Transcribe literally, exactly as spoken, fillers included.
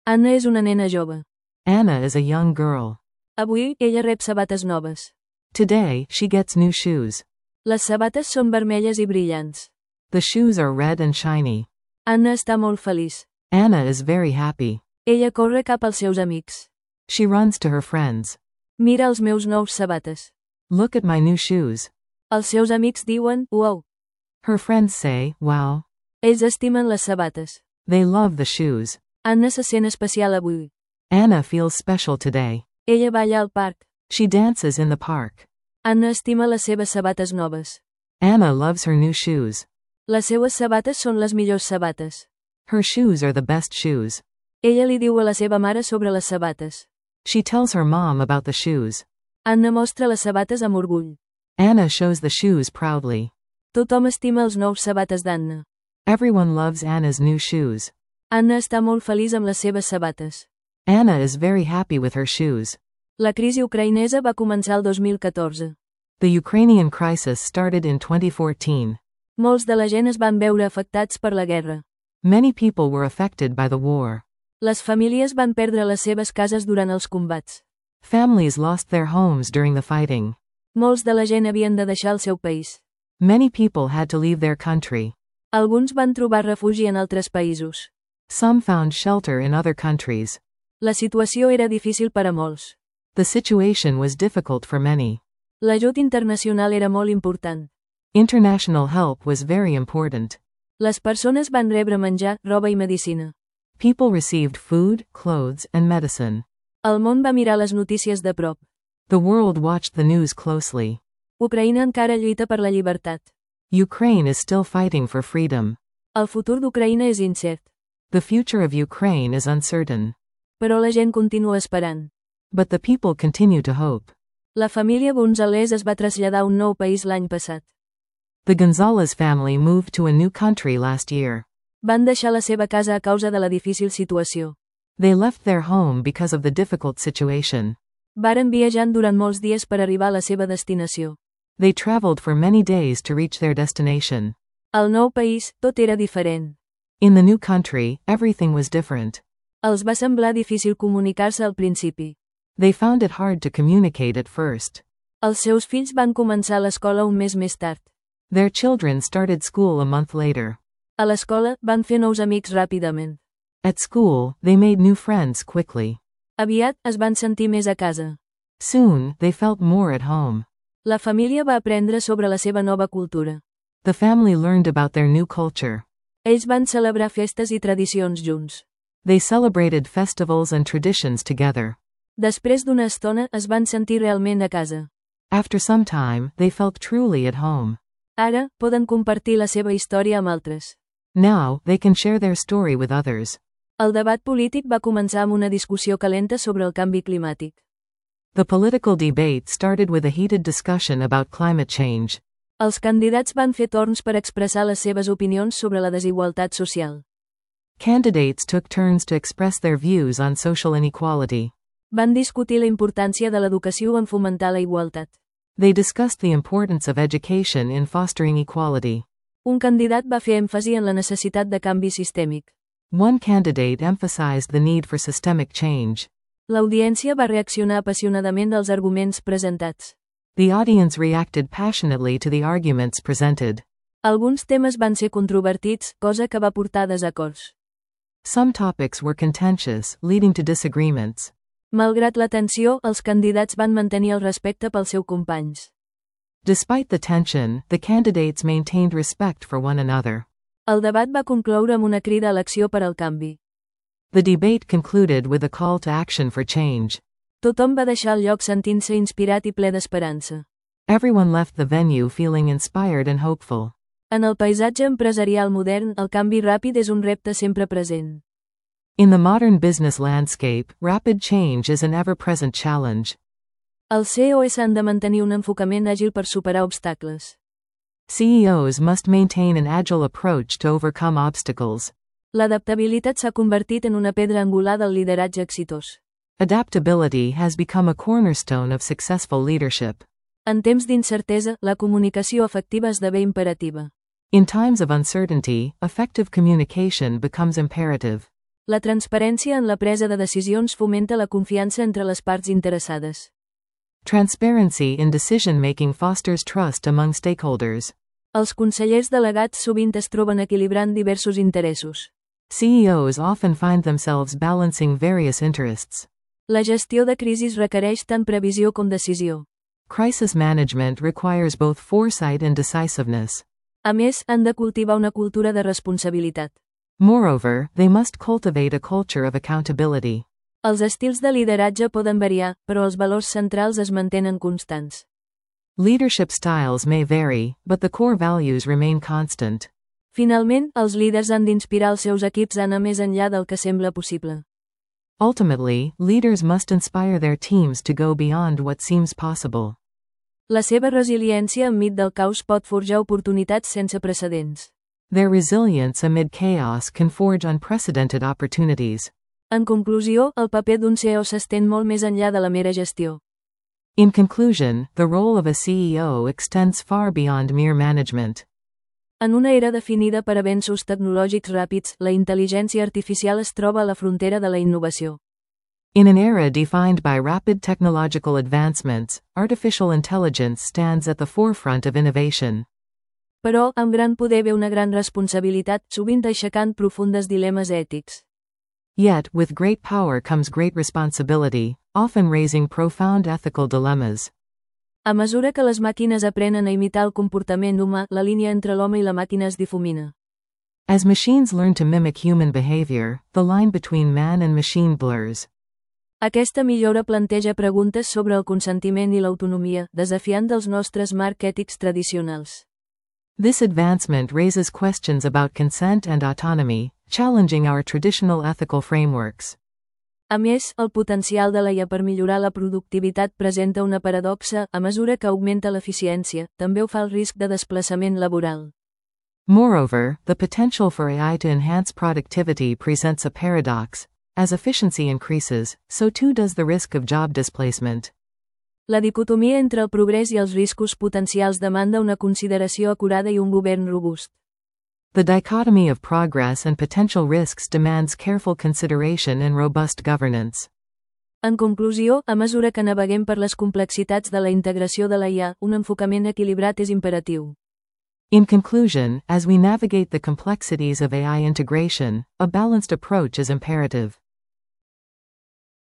Anna és una nena jove. Anna is a young girl. Avui, ella rep sabates noves. Today, she gets new shoes. Les sabates són vermelles i brillants. The shoes are red and shiny. Anna està molt feliç. Anna is very happy. Ella corre cap als seus amics. She runs to her friends. Mira els meus nous sabates. Look at my new shoes. Els seus amics diuen, uau. Her friends say, wow. Ells estimen les sabates. They love the shoes. Anna se sent especial avui. Anna feels special today. Ella balla al parc. She dances in the park. Anna estima les seves sabates noves. Anna loves her new shoes. Les seues sabates són les millors sabates. Her shoes are the best shoes. Ella li diu a la seva mare sobre les sabates. She tells her mom about the shoes. Anna mostra les sabates amb orgull. Anna shows the shoes proudly. Tothom estima els nous sabates d'Anna. Everyone loves Anna's new shoes. Anna està molt feliç amb les seves sabates. Anna is very happy with her shoes. La crisi ucraïnesa va començar el dos mil catorze. The Ukrainian crisis started in twenty fourteen. Molts de la gent es van veure afectats per la guerra. Many people were affected by the war. Les famílies van perdre les seves cases durant els combats. Families lost their homes during the fighting. Molts de la gent havien de deixar el seu país. Many people had to leave their country. Alguns van trobar refugi en altres països. Some found shelter in other countries. La situació era difícil per a molts. The situation was difficult for many. L'ajut internacional era molt important. International help was very important. Les persones van rebre menjar, roba i medicina. People received food, clothes, and medicine. El món va mirar les notícies de prop. The world watched the news closely. Ucraïna encara lluita per la llibertat. Ukraine is still fighting for freedom. El futur d'Ucraïna és incert. The future of Ukraine is uncertain. Però la gent continua esperant. But the people continue to hope. La família González es va traslladar a un nou país l'any passat. The Gonzalez family moved to a new country last year. Van deixar la seva casa a causa de la difícil situació. They left their home because of the difficult situation. Varen viatjant durant molts dies per arribar a la seva destinació. They traveled for many days to reach their destination. Al nou país, tot era diferent. In the new country, everything was different. Els va semblar difícil comunicar-se al principi. They found it hard to communicate at first. Els seus fills van començar l'escola un mes més tard. Their children started school a month later. A l'escola, van fer nous amics ràpidament. At school, they made new friends quickly. Aviat, es van sentir més a casa. Soon, they felt more at home. La família va aprendre sobre la seva nova cultura. The family learned about their new culture. Ells van celebrar festes i tradicions junts. They celebrated festivals and traditions together. Després d'una estona, es van sentir realment a casa. After some time, they felt truly at home. Ara, poden compartir la seva història amb altres. Now, they can share their story with others. El debat polític va començar amb una discussió calenta sobre el canvi climàtic. The political debate started with a heated discussion about climate change. Els candidats van fer torns per expressar les seves opinions sobre la desigualtat social. Candidates took turns to express their views on social inequality. Van discutir la importància de l'educació en fomentar la igualtat. They discussed the importance of education in fostering equality. Un candidat va fer èmfasi en la necessitat de canvi sistèmic. One candidate emphasized the need for systemic change. L'audiència va reaccionar apassionadament als arguments presentats. The audience reacted passionately to the arguments presented. Alguns temes van ser controvertits, cosa que va portar a desacords. Some topics were contentious, leading to disagreements. Malgrat la tensió, els candidats van mantenir el respecte pels seus companys. Despite the tension, the candidates maintained respect for one another. El debat va concloure amb una crida a l'acció per al canvi. The debate concluded with a call to action for change. Tothom va deixar el lloc sentint-se inspirat i ple d'esperança. Everyone left the venue feeling inspired and hopeful. En el paisatge empresarial modern, el canvi ràpid és un repte sempre present. In the modern business landscape, rapid change is an ever-present challenge. Els C E Os han de mantenir un enfocament àgil per superar obstacles. C E Os must maintain an agile approach to overcome obstacles. L'adaptabilitat s'ha convertit en una pedra angular del lideratge exitós. Adaptability has become a cornerstone of successful leadership. En temps d'incertesa, la comunicació efectiva esdevé imperativa. In times of uncertainty, effective communication becomes imperative. La transparència en la presa de decisions fomenta la confiança entre les parts interessades. Transparency in decision-making fosters trust among stakeholders. Els consellers delegats sovint es troben equilibrant diversos interessos. C E Os often find themselves balancing various interests. La gestió de crisis requereix tant previsió com decisió. Crisis management requires both foresight and decisiveness. A més, han de cultivar una cultura de responsabilitat. Moreover, they must cultivate a culture of accountability. Els estils de lideratge poden variar, però els valors centrals es mantenen constants. Leadership styles may vary, but the core values remain constant. Finalment, els líders han d'inspirar els seus equips a anar més enllà del que sembla possible. Ultimately, leaders must inspire their teams to go beyond what seems possible. La seva resiliència enmig del caos pot forjar oportunitats sense precedents. Their resilience amid chaos can forge unprecedented opportunities. En conclusió, el paper d'un C E O s'estén molt més enllà de la mera gestió. In conclusion, the role of a C E O extends far beyond mere management. En una era definida per avenços tecnològics ràpids, la intel·ligència artificial es troba a la frontera de la innovació. In an era defined by rapid technological advancements, artificial intelligence stands at the forefront of innovation. Però, amb gran poder ve una gran responsabilitat, sovint aixecant profundes dilemes ètics. Yet, with great power comes great responsibility, often raising profound ethical dilemmas. A mesura que les màquines aprenen a imitar el comportament humà, la línia entre l'home i la màquina es difumina. As machines learn to mimic human behavior, the line between man and machine blurs. Aquesta millora planteja preguntes sobre el consentiment i l'autonomia, desafiant els nostres marcs ètics tradicionals. This advancement raises questions about consent and autonomy, challenging our traditional ethical frameworks. A més, el potencial de l'A I A per millorar la productivitat presenta una paradoxa, a mesura que augmenta l'eficiència, també ho fa el risc de desplaçament laboral. Moreover, the potential for A I to enhance productivity presents a paradox. As efficiency increases, so too does the risk of job displacement. La dicotomia entre el progrés i els riscos potencials demanda una consideració acurada i un govern robust. The dichotomy of progress and potential risks demands careful consideration and robust governance. En conclusió, a mesura que naveguem per les complexitats de la integració de l'A I A, un enfocament equilibrat és imperatiu. In conclusion, as we navigate the complexities of A I integration, a balanced approach is imperative.